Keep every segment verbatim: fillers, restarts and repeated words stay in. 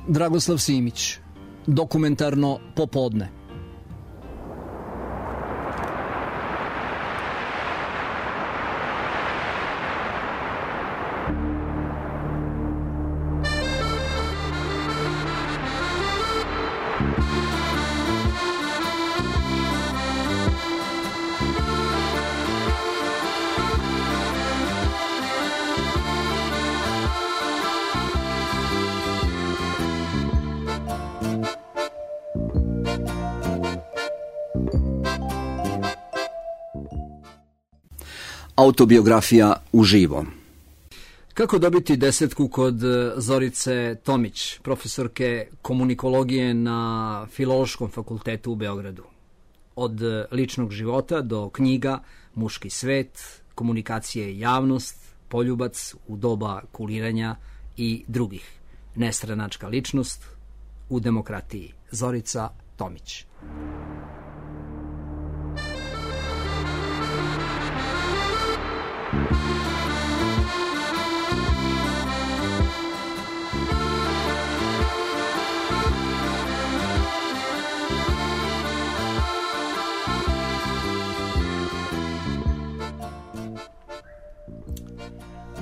Dragoslav Simić, Dokumentarno popodne. Autobiografija uživo. Kako dobiti desetku kod Zorice Tomić, profesorke komunikologije na Filološkom fakultetu u Beogradu? Od ličnog života do knjiga Muški svet, komunikacije i javnost, Poljubac u doba kuliranja i drugih. Nestranačka ličnost u demokratiji. Zorica Tomić.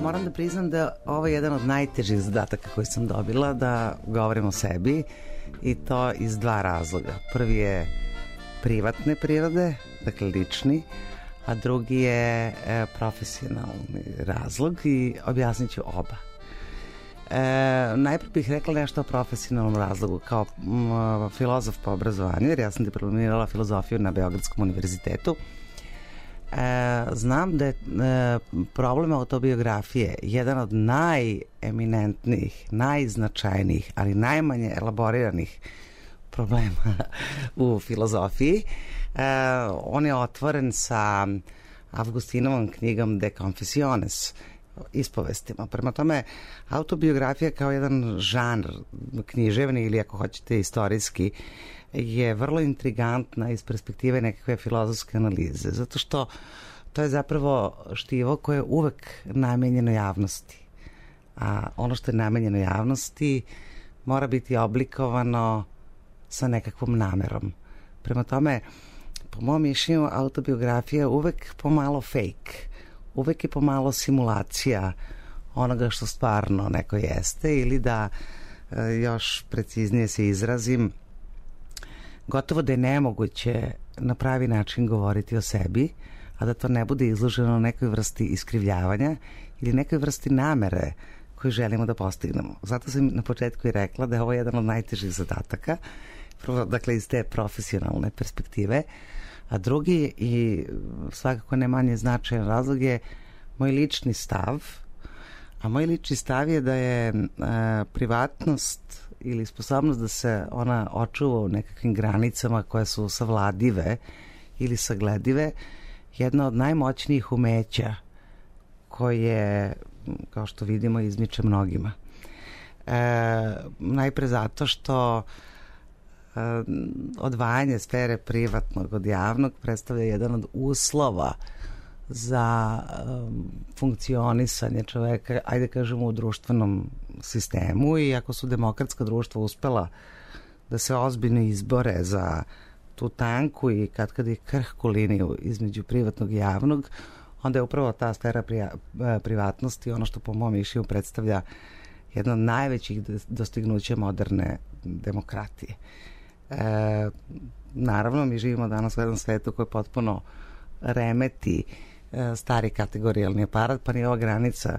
Moram da priznam da ovo je jedan od najtežih zadataka koji sam dobila, da govorim o sebi, i to iz dva razloga. Prvi je privatne prirode, dakle lični, a drugi je e, profesionalni razlog i objasnit ću oba. E, najprije bih rekla nešto o profesionalnom razlogu. Kao m, filozof po obrazovanju, jer ja sam diplomirala filozofiju na Beogradskom univerzitetu, e, znam da je e, problem autobiografije jedan od najeminentnijih, najznačajnijih, ali najmanje elaboriranih problema u filozofiji. Uh, on je otvoren sa Avgustinovom knjigom De Confessiones, ispovestima. Prema tome, autobiografija kao jedan žanr književni ili ako hoćete istorijski je vrlo intrigantna iz perspektive nekakve filozofske analize, zato što to je zapravo štivo koje je uvek namenjeno javnosti. A ono što je namenjeno javnosti mora biti oblikovano sa nekakvom namerom. Prema tome, po mom mišljenju, autobiografija uvek pomalo fake, uvek je pomalo simulacija onoga što stvarno neko jeste, ili da još preciznije se izrazim, gotovo da je nemoguće na pravi način govoriti o sebi, a da to ne bude izloženo nekoj vrsti iskrivljavanja ili nekoj vrsti namere koju želimo da postignemo. Zato sam na početku i rekla da je ovo jedan od najtežih zadataka, dakle iz te profesionalne perspektive, a drugi i svakako ne manje značajan razlog je moj lični stav, a moj lični stav je da je e, privatnost ili sposobnost da se ona očuva u nekakvim granicama koje su savladive ili sagledive jedna od najmoćnijih umeća koje, kao što vidimo, izmiče mnogima. E, najpre zato što odvajanje sfere privatnog od javnog predstavlja jedan od uslova za um, funkcionisanje čoveka, ajde kažemo, u društvenom sistemu, i ako su demokratska društva uspela da se ozbiljno izbore za tu tanku i kad kad je krhku liniju između privatnog i javnog, onda je upravo ta sfera prija, privatnosti ono što po mom mišljenju predstavlja jedno od najvećih dostignuća moderne demokratije. E, naravno, mi živimo danas u jednom svetu koji potpuno remeti e, stari kategorijalni aparat, pa ni ova granica e,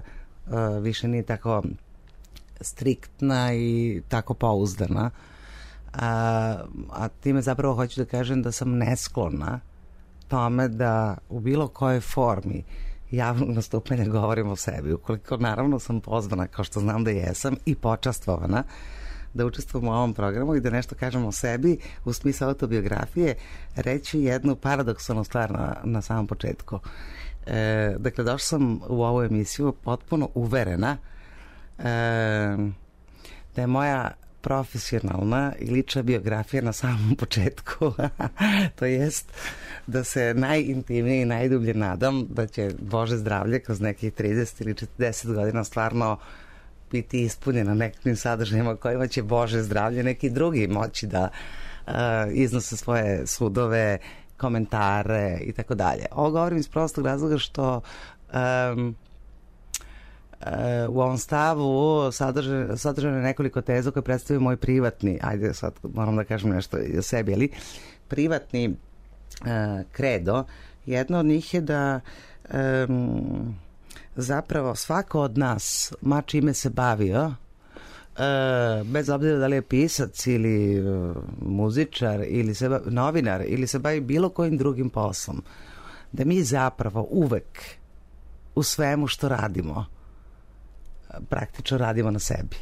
više nije tako striktna i tako pouzdana. A, a time zapravo hoću da kažem da sam nesklona tome da u bilo kojoj formi javnog nastupanja govorim o sebi. Ukoliko naravno sam pozvana, kao što znam da jesam, i počastvovana da učestvujem u ovom programu i da nešto kažem o sebi u smislu autobiografije, reći jednu paradoksalnu stvar na, na samom početku. E, dakle, došla sam u ovu emisiju potpuno uverena e, da je moja profesionalna i lična biografija na samom početku. To jest da se najintimnije i najdublje nadam da će Bože zdravlje kroz nekih trideset ili četrdeset godina stvarno biti ispunjena nekakvim sadržajima kojima će Bože zdravlje neki drugi moći da uh, iznose svoje sudove, komentare i tako dalje. Ovo govorim iz prostog razloga što um, u ovom stavu sadržano je nekoliko teza koje predstavljaju moj privatni, ajde sad moram da kažem nešto i o sebi, ali privatni uh, kredo. Jedno od njih je da um, zapravo svako od nas, ma čime se bavio, uh, bez obzira da li je pisac ili uh, muzičar ili se bavi, novinar ili se bavi bilo kojim drugim poslom, da mi zapravo uvek u svemu što radimo praktično radimo na sebi.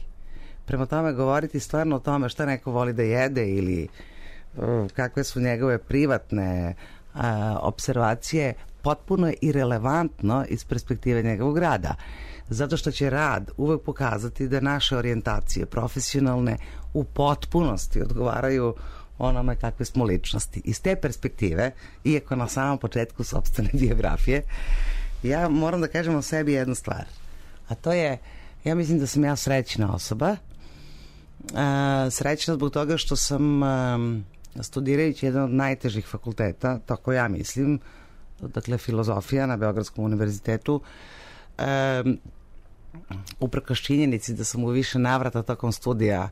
Prema tome, govoriti stvarno o tome šta neko voli da jede ili uh, kakve su njegove privatne uh, observacije, potpuno je irelevantno iz perspektive njegovog rada. Zato što će rad uvek pokazati da naše orijentacije profesionalne u potpunosti odgovaraju onome kakve smo ličnosti. Iz te perspektive, iako na samom početku sopstvene biografije, ja moram da kažem o sebi jednu stvar. A to je, ja mislim da sam ja srećna osoba. A, srećna zbog toga što sam a, studirajući jedan od najtežih fakulteta, tako ja mislim, dakle filozofija na Beogradskom univerzitetu, a, uprkos činjenici da sam u više navrata tokom studija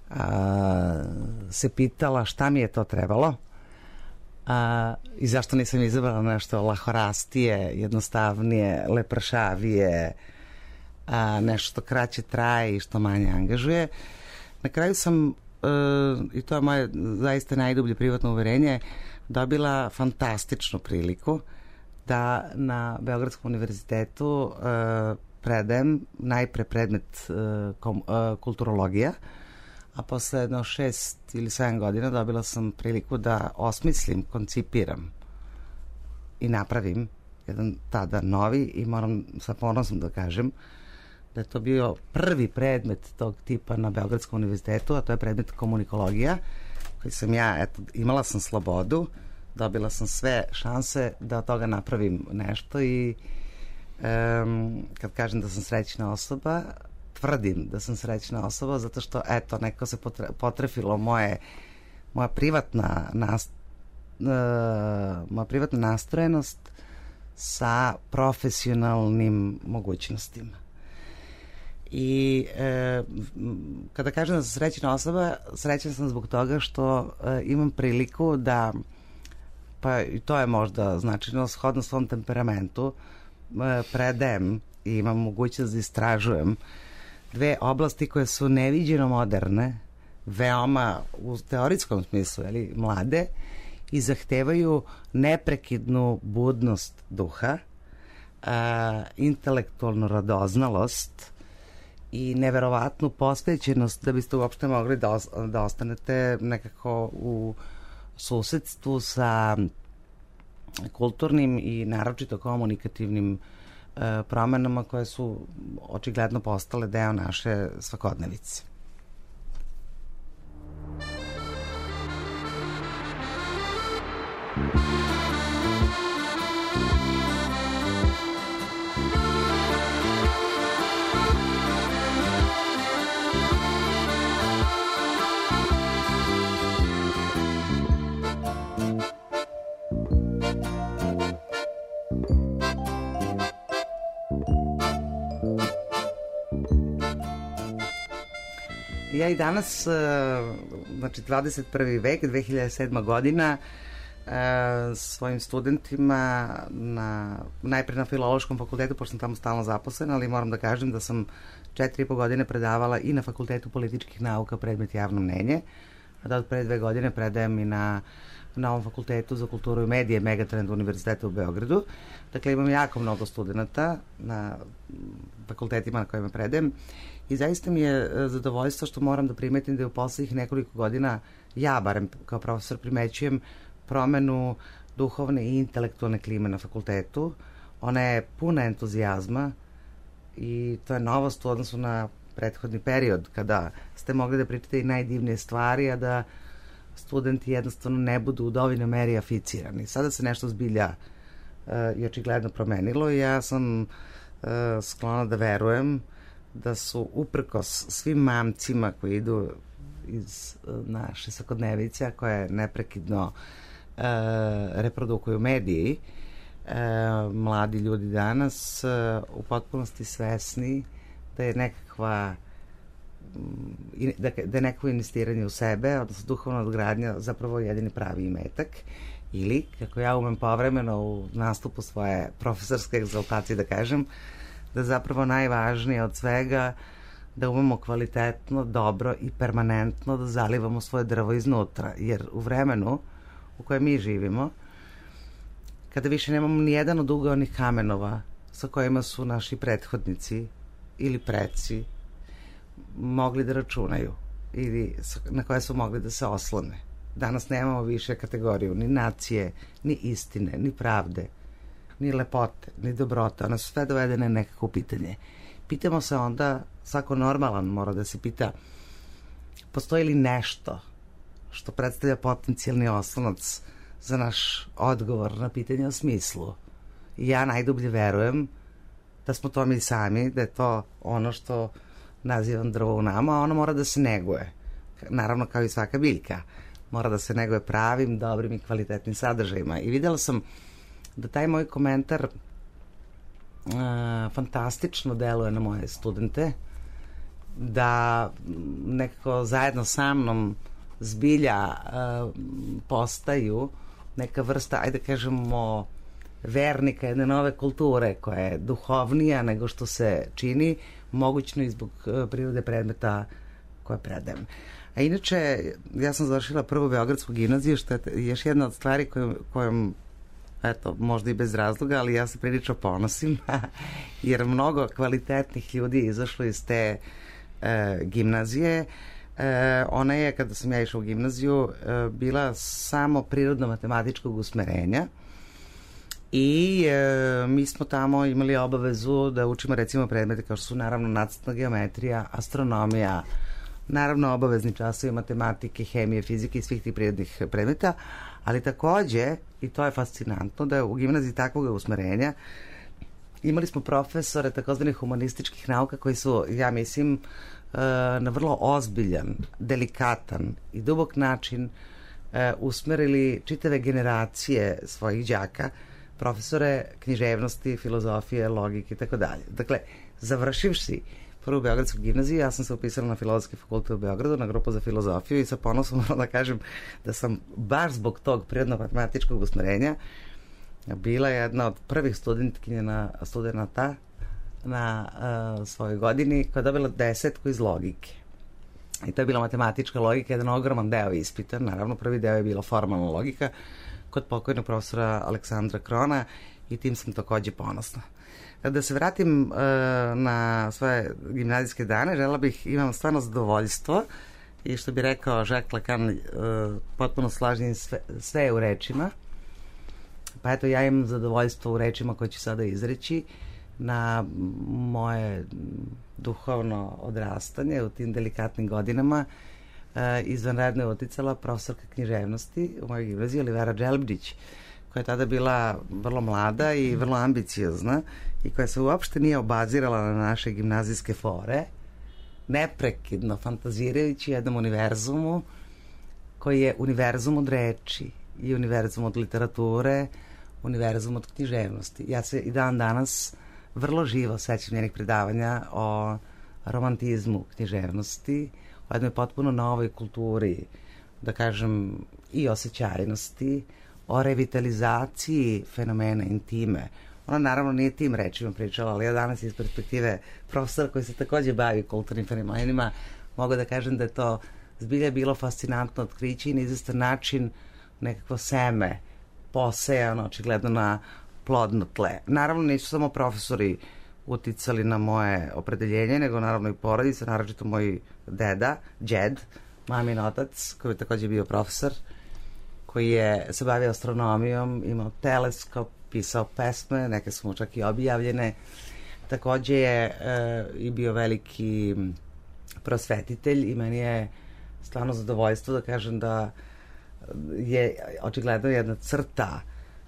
a, se pitala šta mi je to trebalo a, i zašto nisam izabrala nešto lahorastije, jednostavnije, lepršavije, a, nešto što kraće traje i što manje angažuje. Na kraju sam, e, i to je moje zaista najdublje privatno uverenje, dobila fantastičnu priliku da na Beogradskom univerzitetu e, predajem najpre predmet e, kom, e, kulturologija, a posle jedno šest ili sedam godina dobila sam priliku da osmislim, koncipiram i napravim jedan tada novi, i moram sa ponosom da kažem da je to bio prvi predmet tog tipa na Beogradskom univerzitetu, a to je predmet komunikologija, koji sam ja, eto, imala sam slobodu, dobila sam sve šanse da od toga napravim nešto i um, kad kažem da sam srećna osoba, tvrdim da sam srećna osoba zato što, eto, neko se potre, potrefilo moje, moja privatna nast, uh, moja privatna nastrojenost sa profesionalnim mogućnostima. I e, kada kažem da sam srećna osoba, srećna sam zbog toga što e, imam priliku da, pa i to je možda značajno, shodno svom temperamentu, e, predajem i imam mogućnost da istražujem dve oblasti koje su neviđeno moderne, veoma u teoretskom smislu, ali mlade, i zahtevaju neprekidnu budnost duha, a, intelektualnu radoznalost i neverovatnu posvećenost da biste uopšte mogli da, os da ostanete nekako u susedstvu sa kulturnim i naročito komunikativnim e, promenama koje su očigledno postale deo naše svakodnevice. Ja i danas, znači dvadeset prvi vek, dve hiljade sedma godina, svojim studentima na, najpre na Filološkom fakultetu, pošto sam tamo stalno zaposlena, ali moram da kažem da sam četiri i po godine predavala i na Fakultetu političkih nauka predmet javno mnenje, a da od pre dve godine predajem i na Novom fakultetu za kulturu i medije Megatrend univerziteta u Beogradu. Dakle, imam jako mnogo studenta na fakultetima na kojima predajem i zaista mi je zadovoljstvo što moram da primetim da je u poslednjih nekoliko godina, ja barem kao profesor primećujem promenu duhovne i intelektualne klime na fakultetu. Ona je puna entuzijazma i to je novost u odnosu na prethodni period kada ste mogli da pričate i najdivnije stvari, a da studenti jednostavno ne budu u dovoljnoj meri aficirani. Sada se nešto zbilja uh, i očigledno promenilo i ja sam uh, sklona da verujem da su uprkos svim mamcima koji idu iz naše svakodnevice, koje neprekidno e, reprodukuju mediji, e, mladi ljudi danas e, u potpunosti svesni da je nekakva da, da je neko investiranje u sebe, odnosno duhovna odgradnja zapravo jedini pravi imetak, ili, kako ja umem povremeno u nastupu svoje profesorske egzaltacije da kažem, da zapravo najvažnije od svega da umemo kvalitetno, dobro i permanentno da zalivamo svoje drvo iznutra, jer u vremenu u kojem mi živimo, kada više nemamo ni jedan od ugaonih kamenova sa kojima su naši prethodnici ili preci mogli da računaju ili na koje su mogli da se oslone. Danas nemamo više kategoriju ni nacije, ni istine, ni pravde, ni lepote, ni dobrote. One su sve dovedene nekako pitanje. Pitamo se onda, svako normalan mora da se pita, postoji li nešto što predstavlja potencijalni oslonac za naš odgovor na pitanje o smislu? I ja najdublje verujem da smo to mi sami, da je to ono što nazivam drvo u nama, a ono mora da se neguje. Naravno, kao i svaka biljka. Mora da se neguje pravim, dobrim i kvalitetnim sadržajima. I videla sam da taj moj komentar uh, fantastično deluje na moje studente, da nekako zajedno sa mnom zbilja uh, postaju neka vrsta, ajde kažemo, vernika jedne nove kulture koja je duhovnija nego što se čini, mogućno i zbog uh, prirode predmeta koje predajem. A inače, ja sam završila prvu Beogradsku gimnaziju, što je još jedna od stvari kojom, kojom eto, možda i bez razloga, ali ja se prilično ponosim, jer mnogo kvalitetnih ljudi izašlo iz te e, gimnazije. E, ona je, kada sam ja išla u gimnaziju, e, bila samo prirodno-matematičkog usmerenja i e, mi smo tamo imali obavezu da učimo recimo predmete kao što su naravno nacrtna geometrija, astronomija, naravno obavezni časovi matematike, hemije, fizike i svih tih prirodnih predmeta, ali takođe, i to je fascinantno, da je u gimnaziji takvog usmerenja imali smo profesore takozvanih humanističkih nauka koji su, ja mislim, na vrlo ozbiljan, delikatan i dubok način usmerili čitave generacije svojih đaka, profesore književnosti, filozofije, logike i tako dalje. Dakle, završivši prvu Beogradsku gimnaziju, ja sam se upisala na Filozofski fakultet u Beogradu, na grupu za filozofiju i sa ponosom moram da kažem da sam baš zbog tog prirodno-matematičkog usmerenja bila jedna od prvih studentkinja na studenta na uh, svojoj godini koja je dobila desetku iz logike. I to je bila matematička logika, jedan ogroman deo ispita. Naravno, prvi deo je bila formalna logika kod pokojnog profesora Aleksandra Krona i tim sam takođe ponosna. Da se vratim uh, na svoje gimnazijske dane, žela bih, imam stvarno zadovoljstvo i što bi rekao Jacques Lacan, uh, potpuno slažem sve, sve u rečima. Pa eto, ja imam zadovoljstvo u rečima koje ću sada izreći na moje duhovno odrastanje u tim delikatnim godinama. Uh, izvanredno je uticala profesorka književnosti u mojoj gimnaziji, Olivera Dželbdić, koja je tada bila vrlo mlada i vrlo ambiciozna i koja se uopšte nije obazirala na naše gimnazijske fore, neprekidno fantazirajući jednom univerzumu koji je univerzum od reči i univerzum od literature, univerzum od književnosti. Ja se i dan danas vrlo živo sećam njenih predavanja o romantizmu književnosti, o jednoj potpuno novoj kulturi, da kažem, i osjećajnosti, o revitalizaciji fenomena intime. Ona naravno nije tim rečima pričala, ali ja danas iz perspektive profesora koji se takođe bavi kulturnim fenomenima mogu da kažem da je to zbilja bilo fascinantno otkriće i na izvestan način nekako seme posejano očigledno na plodno tle. Naravno nisu samo profesori uticali na moje opredeljenje, nego naravno i porodica, naročito moj deda, džed, mamin otac, koji je takođe bio profesor, koji je se bavio astronomijom, imao teleskop, pisao pesme, neke su mu čak i objavljene. Takođe je e, i bio veliki prosvetitelj i meni je stvarno zadovoljstvo da kažem da je očigledno jedna crta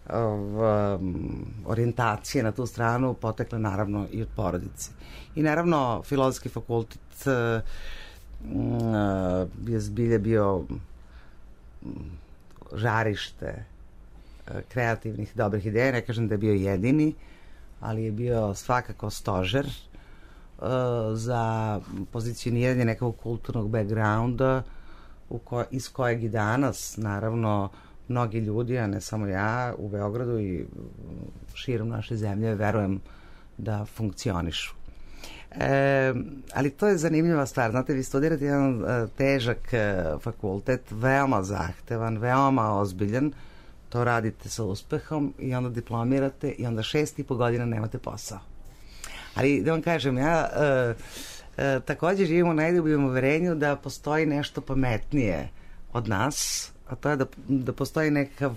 um, orijentacije na tu stranu potekle naravno i od porodice. I naravno Filozofski fakultet uh, je zbilje bio žarište kreativnih, dobrih ideja. Ne kažem da je bio jedini, ali je bio svakako stožer uh, za pozicioniranje nekog kulturnog backgrounda u ko, iz kojeg i danas, naravno, mnogi ljudi, a ne samo ja, u Beogradu i širom naše zemlje, verujem da funkcionišu. E, ali to je zanimljiva stvar. Znate, vi studirate jedan e, težak e, fakultet, veoma zahtevan, veoma ozbiljan, to radite sa uspehom i onda diplomirate i onda šest i po godina nemate posao. Ali da vam kažem, ja e, e, takođe živim u najdubljem uverenju da postoji nešto pametnije od nas, a to je da, da postoji nekakav,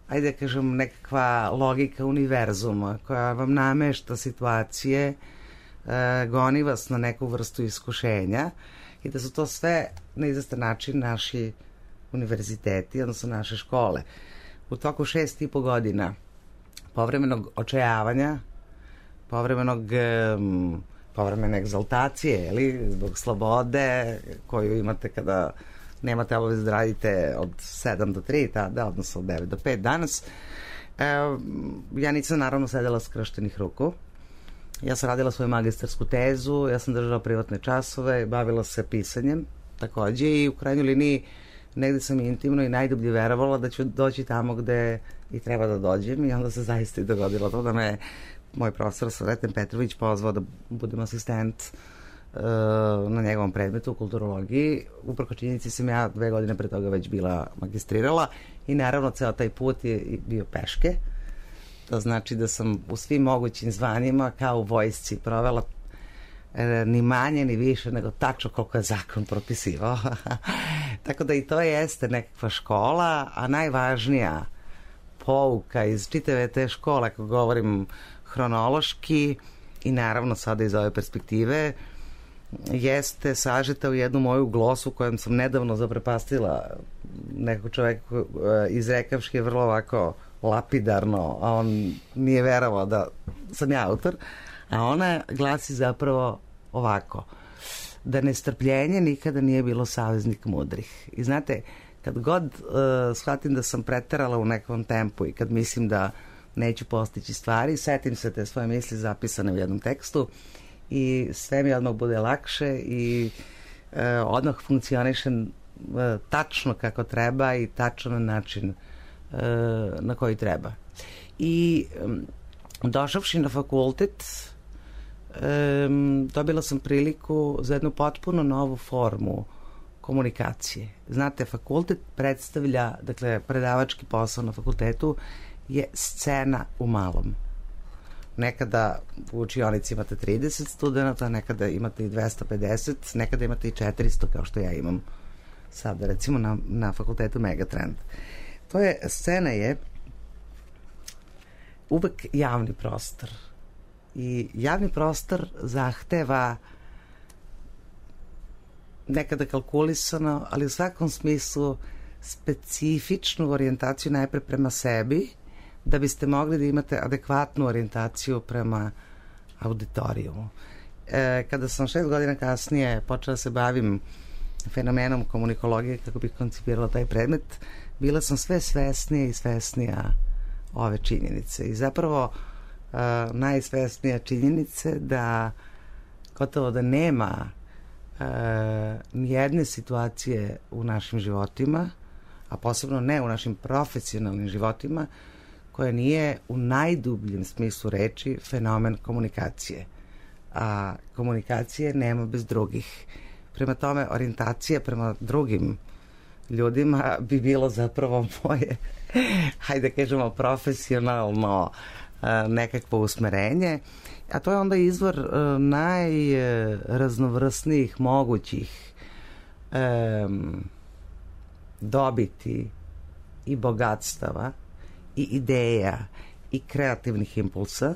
ajde da kažem, nekakva logika univerzuma koja vam namešta situacije, e, goni vas na neku vrstu iskušenja i da su to sve na izvestan način naši univerziteti, odnosno naše škole. U toku šest i po godina povremenog očajavanja, povremenog, um, povremene egzaltacije, ili zbog slobode koju imate kada nemate obavezu da radite od sedam do tri tada, odnosno od devet do pet danas. E, ja nisam naravno sedela skrštenih ruku. Ja sam radila svoju magistarsku tezu, ja sam držala privatne časove, bavila se pisanjem takođe i u krajnjoj liniji negde sam intimno i najdublje verovala da ću doći tamo gde i treba da dođem i onda se zaista i dogodilo to da me moj profesor Sreten Petrović pozvao da budem asistent uh, na njegovom predmetu u kulturologiji. Uprko činjenici sam ja dve godine pre toga već bila magistrirala i naravno ceo taj put je bio peške. To znači da sam u svim mogućim zvanjima kao u vojsci provela e, ni manje ni više nego tačno koliko je zakon propisivao. Tako da i to jeste nekakva škola, a najvažnija pouka iz čitave te škole, ako govorim hronološki i naravno sada iz ove perspektive, jeste sažeta u jednu moju glosu kojem sam nedavno zaprepastila nekog čoveka izrekavški je vrlo ovako lapidarno, a on nije verovao da sam ja autor, a ona glasi zapravo ovako: da nestrpljenje nikada nije bilo saveznik mudrih. I znate, kad god uh, shvatim da sam preterala u nekom tempu i kad mislim da neću postići stvari, setim se te svoje misli zapisane u jednom tekstu i sve mi odmah bude lakše i uh, odmah funkcionišem uh, tačno kako treba i tačno na način uh, na koji treba. I um, došavši na fakultet, um, dobila sam priliku za jednu potpuno novu formu komunikacije. Znate, fakultet predstavlja, dakle, predavački posao na fakultetu je scena u malom. Nekada u učionici imate trideset studenta, nekada imate i dvesta pedeset, nekada imate i četiristo, kao što ja imam sada, recimo, na, na fakultetu Megatrend. To je, scena je uvek javni prostor. I javni prostor zahteva nekada kalkulisano, ali u svakom smislu specifičnu orijentaciju najpre prema sebi, da biste mogli da imate adekvatnu orijentaciju prema auditorijumu. E, kada sam šest godina kasnije počela se bavim fenomenom komunikologije kako bih koncipirala taj predmet, bila sam sve svesnija i svesnija ove činjenice. I zapravo e, najsvesnija činjenice da gotovo da nema Uh, nijedne situacije u našim životima, a posebno ne u našim profesionalnim životima, koja nije u najdubljem smislu reči fenomen komunikacije. A komunikacije nema bez drugih. Prema tome, orijentacija prema drugim ljudima bi bilo zapravo moje, hajde kažemo, profesionalno uh, nekakvo usmerenje. A to je onda izvor uh, najraznovrsnijih mogućih um, dobiti i bogatstava i ideja i kreativnih impulsa.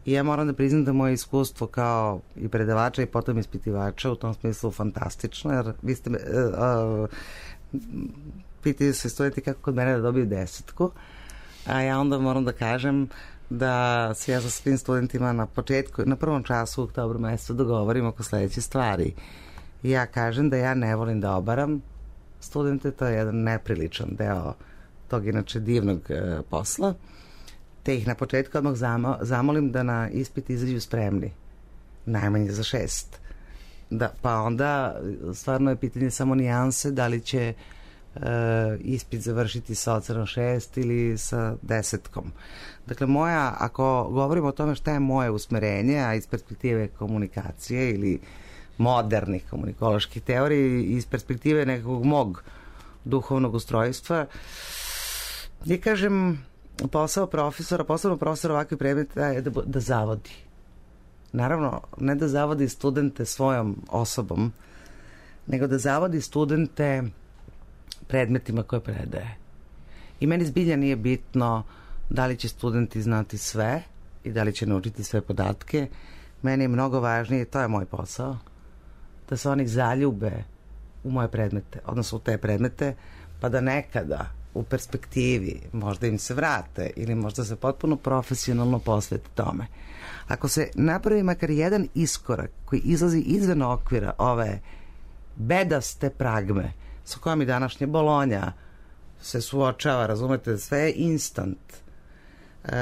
I ja moram da priznam da moje iskustvo kao i predavača i potom ispitivača u tom smislu fantastično, jer vi ste me, uh, uh, pitaju se studenti kako kod mene da dobiju desetku. a ja onda moram da kažem da se ja sa svim studentima na početku, na prvom času u oktobru mesecu dogovorim oko sledeće stvari. Ja kažem da ja ne volim da obaram studente, to je jedan nepriličan deo tog inače divnog e, posla, te ih na početku odmah zamo, zamolim da na ispit izađu spremni, najmanje za šest. Da, pa onda stvarno je pitanje samo nijanse da li će e, ispit završiti sa ocenom šest ili sa desetkom. Dakle, moja, ako govorimo o tome šta je moje usmerenje, a iz perspektive komunikacije ili modernih komunikoloških teorija, iz perspektive nekog mog duhovnog ustrojstva, ja kažem, posao profesora, posebno profesora ovakvih predmeta je da, da zavodi. Naravno, ne da zavodi studente svojom osobom, nego da zavodi studente predmetima koje predaje. I meni zbilja nije bitno da li će studenti znati sve i da li će naučiti sve podatke. Meni je mnogo važnije, to je moj posao, da se oni zaljube u moje predmete, odnosno u te predmete, pa da nekada u perspektivi možda im se vrate ili možda se potpuno profesionalno posvete tome. Ako se napravi makar jedan iskorak koji izlazi izvan okvira ove bedaste pragme sa kojom i današnje Bolonja se suočava, razumete, sve je instant. E,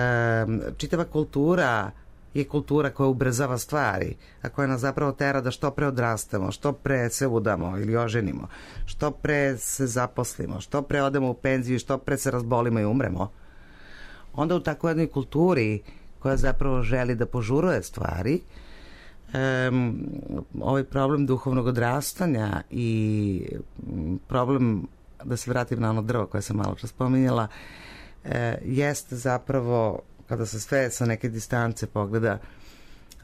čitava kultura je kultura koja ubrzava stvari, a koja nas zapravo tera da što pre odrastemo, što pre se udamo ili oženimo, što pre se zaposlimo, što pre odemo u penziju, što pre se razbolimo i umremo. Onda u takvoj jednoj kulturi koja zapravo želi da požuruje stvari, um, ovaj problem duhovnog odrastanja i problem, da se vratim na ono drvo koje sam malo čas spominjala, e, jeste zapravo, kada se sve sa neke distance pogleda,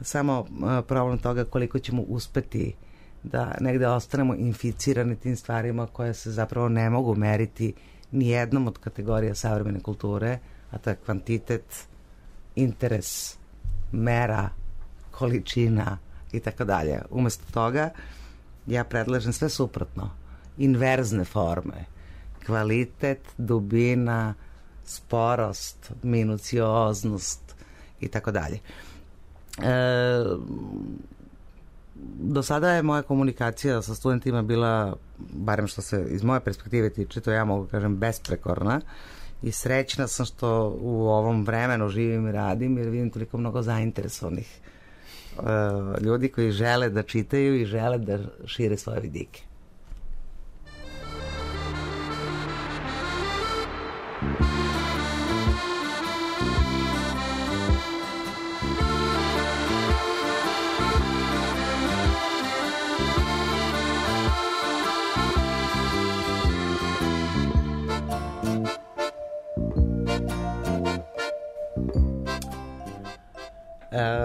samo problem toga koliko ćemo uspeti da negde ostanemo inficirani tim stvarima koje se zapravo ne mogu meriti ni jednom od kategorija savremene kulture, a to je kvantitet, interes, mera, količina i tako dalje. Umesto toga ja predlažem sve suprotno. Inverzne forme. Kvalitet, dubina, sporost, minucioznost i tako dalje. E, do sada je moja komunikacija sa studentima bila, barem što se iz moje perspektive tiče, to ja mogu kažem besprekorna, i srećna sam što u ovom vremenu živim i radim, jer vidim toliko mnogo zainteresovanih e, ljudi koji žele da čitaju i žele da šire svoje vidike.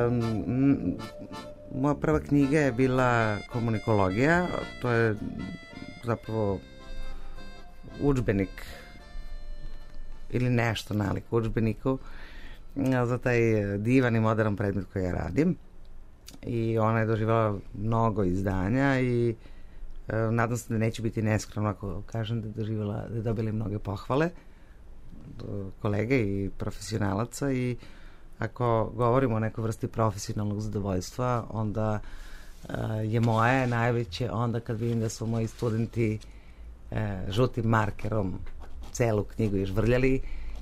Um, moja prva knjiga je bila Komunikologija, to je zapravo udžbenik ili nešto nalik udžbeniku za taj divan i modern predmet koji ja radim, i ona je doživjela mnogo izdanja i e, nadam se da neće biti neskromno ako kažem da je doživjela, da je dobila mnoge pohvale kolege i profesionalaca, i ako govorimo o nekoj vrsti profesionalnog zadovoljstva, onda uh, je moje najveće onda kad vidim da su moji studenti uh, žutim markerom celu knjigu izvrljali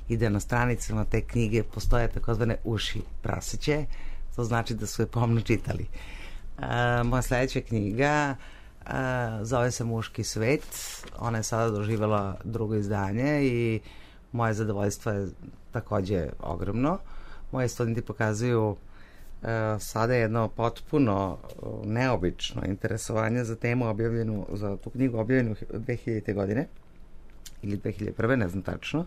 i da na stranicama te knjige postoje takozvane uši prasiće, to znači da su je pomno čitali. Uh, moja sledeća knjiga uh, zove se Muški svet, ona je sada doživjela drugo izdanje i moje zadovoljstvo je takođe ogromno. Moji studenti pokazuju uh, sada jedno potpuno uh, neobično interesovanje za temu objavljenu, za tu knjigu objavljenu dve hiljadite godine ili dve hiljade prve, ne znam tačno.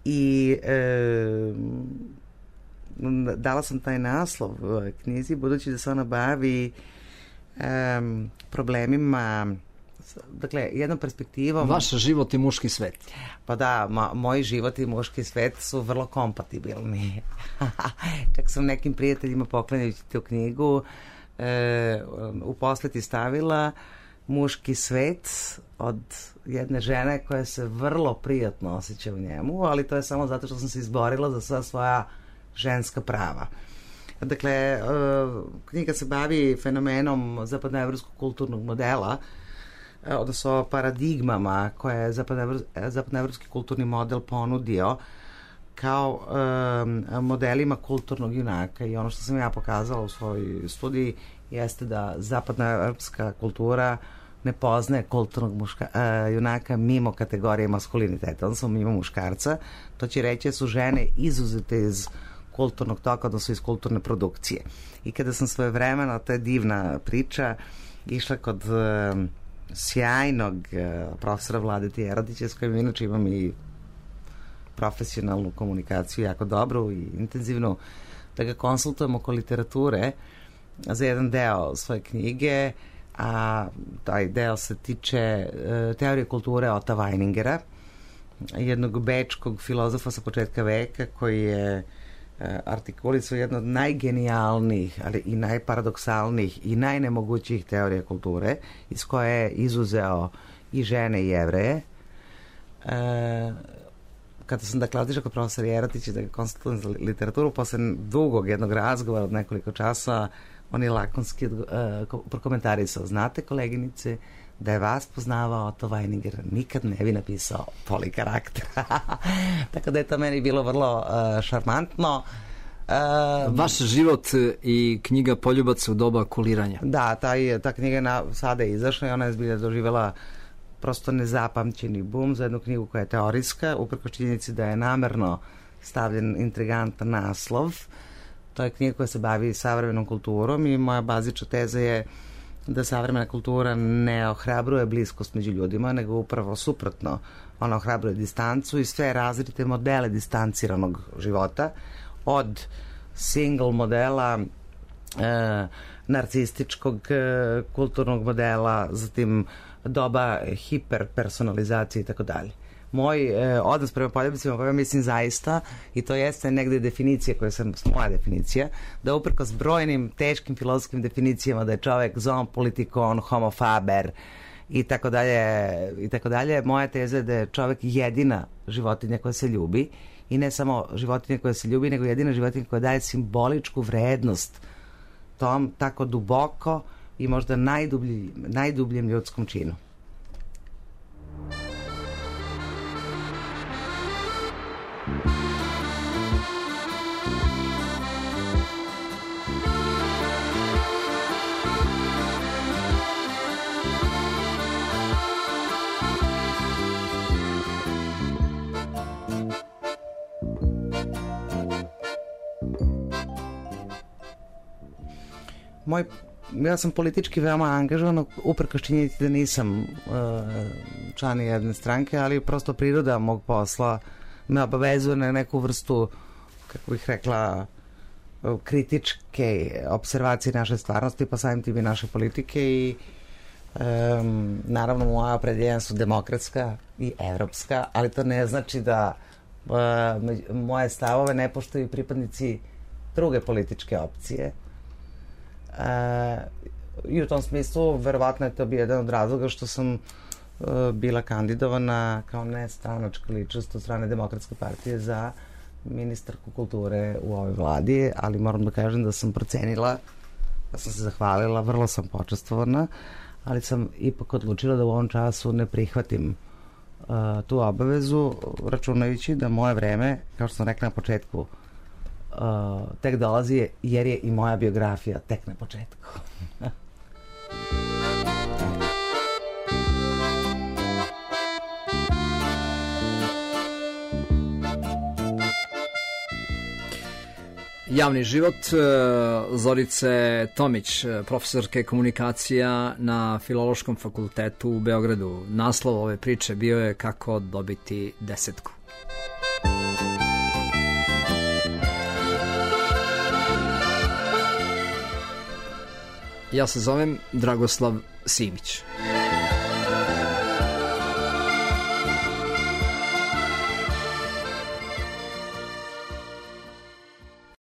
I uh, dala sam taj naslov knjizi budući da se ona bavi um, problemima, dakle, jednom perspektivom... Vaš život i muški svet. Pa da, ma, moj život i muški svet su vrlo kompatibilni. Čak sam nekim prijateljima poklanjajući tu knjigu e, u posveti stavila muški svet, od jedne žene koja se vrlo prijatno osjeća u njemu, ali to je samo zato što sam se izborila za sva svoja ženska prava. Dakle, knjiga se bavi fenomenom zapadnoevropskog kulturnog modela, odnosno paradigmama koje je zapadnoevropski kulturni model ponudio kao um, modelima kulturnog junaka, i ono što sam ja pokazala u svojoj studiji jeste da zapadnoevropska kultura ne poznaje kulturnog muška, uh, junaka mimo kategorije maskuliniteta, odnosno mimo muškarca. To će reći da su žene izuzete iz kulturnog toka, odnosno iz kulturne produkcije. I kada sam svojevremeno, to je divna priča, išla kod uh, sjajnog uh, profesora Vladete Jerodića, s kojim inače imam i profesionalnu komunikaciju jako dobru i intenzivnu, da ga konsultujem oko literature za jedan deo svoje knjige, a taj deo se tiče uh, teorije kulture Ota Weiningera, jednog bečkog filozofa sa početka veka koji je uh, artikulisao jedno od najgenijalnijih, ali i najparadoksalnijih i najnemogućijih teorija kulture, iz koje je izuzeo i žene i Jevreje. Uh, kada sam dakle otišla kod profesora Jerotića da ga konsultujem za literaturu, posle dugog jednog razgovora od nekoliko časa, on je lakonski uh, prokomentarisao: znate, koleginice, da je vas poznavao Otto Weininger, nikad ne bi napisao polikarakter. Tako da je to meni bilo vrlo uh, šarmantno. Uh, Vaš život i knjiga Poljubac u doba kuliranja. Da, taj, ta knjiga na, sada je izašla i ona je zbilja doživjela prosto nezapamćeni bum za jednu knjigu koja je teorijska, uprkos činjenici da je namerno stavljen intrigantan naslov. To je knjiga koja se bavi savremenom kulturom i moja bazična teza je da savremena kultura ne ohrabruje bliskost među ljudima, nego upravo suprotno. Ona ohrabruje distancu i sve različite modele distanciranog života, od single modela, e, narcističkog e, kulturnog modela, zatim doba hiperpersonalizacije i tako dalje. Moj e, odnos prema poljubicima, pa ja mislim zaista, i to jeste negde definicija koja sam, moja definicija, da uprkos brojnim teškim filozofskim definicijama da je čovek zoon politikon, homo faber i tako dalje, i tako dalje, moja teza je da je čovek jedina životinja koja se ljubi, i ne samo životinja koja se ljubi, nego jedina životinja koja daje simboličku vrednost tom tako duboko i možda najdublji, najdubljem ljudskom činu. Moj, ja sam politički veoma angažovan, uprkos činjenici da nisam uh, član jedne stranke, ali prosto priroda mog posla me obavezuje na neku vrstu, kako bih rekla, kritičke observacije naše stvarnosti, pa samim tim i naše politike, i um, naravno moja opredeljenja su demokratska i evropska, ali to ne znači da uh, moje stavove ne poštuju pripadnici druge političke opcije. Uh, i u tom smislu verovatno je to bio jedan od razloga što sam uh, bila kandidovana kao nestranačka ličnost od strane Demokratske partije za ministarku kulture u ovoj vladi, ali moram da kažem da sam procenila, da sam se zahvalila, vrlo sam počastvovana, ali sam ipak odlučila da u ovom času ne prihvatim uh, tu obavezu, računajući da moje vreme, kao što sam rekla na početku, Uh, tek dolazi, jer je i moja biografija tek na početku. Javni život Zorice Tomić, profesorke komunikacija na Filološkom fakultetu u Beogradu. Naslov ove priče bio je Kako dobiti desetku. Ja se zovem Dragoslav Simić.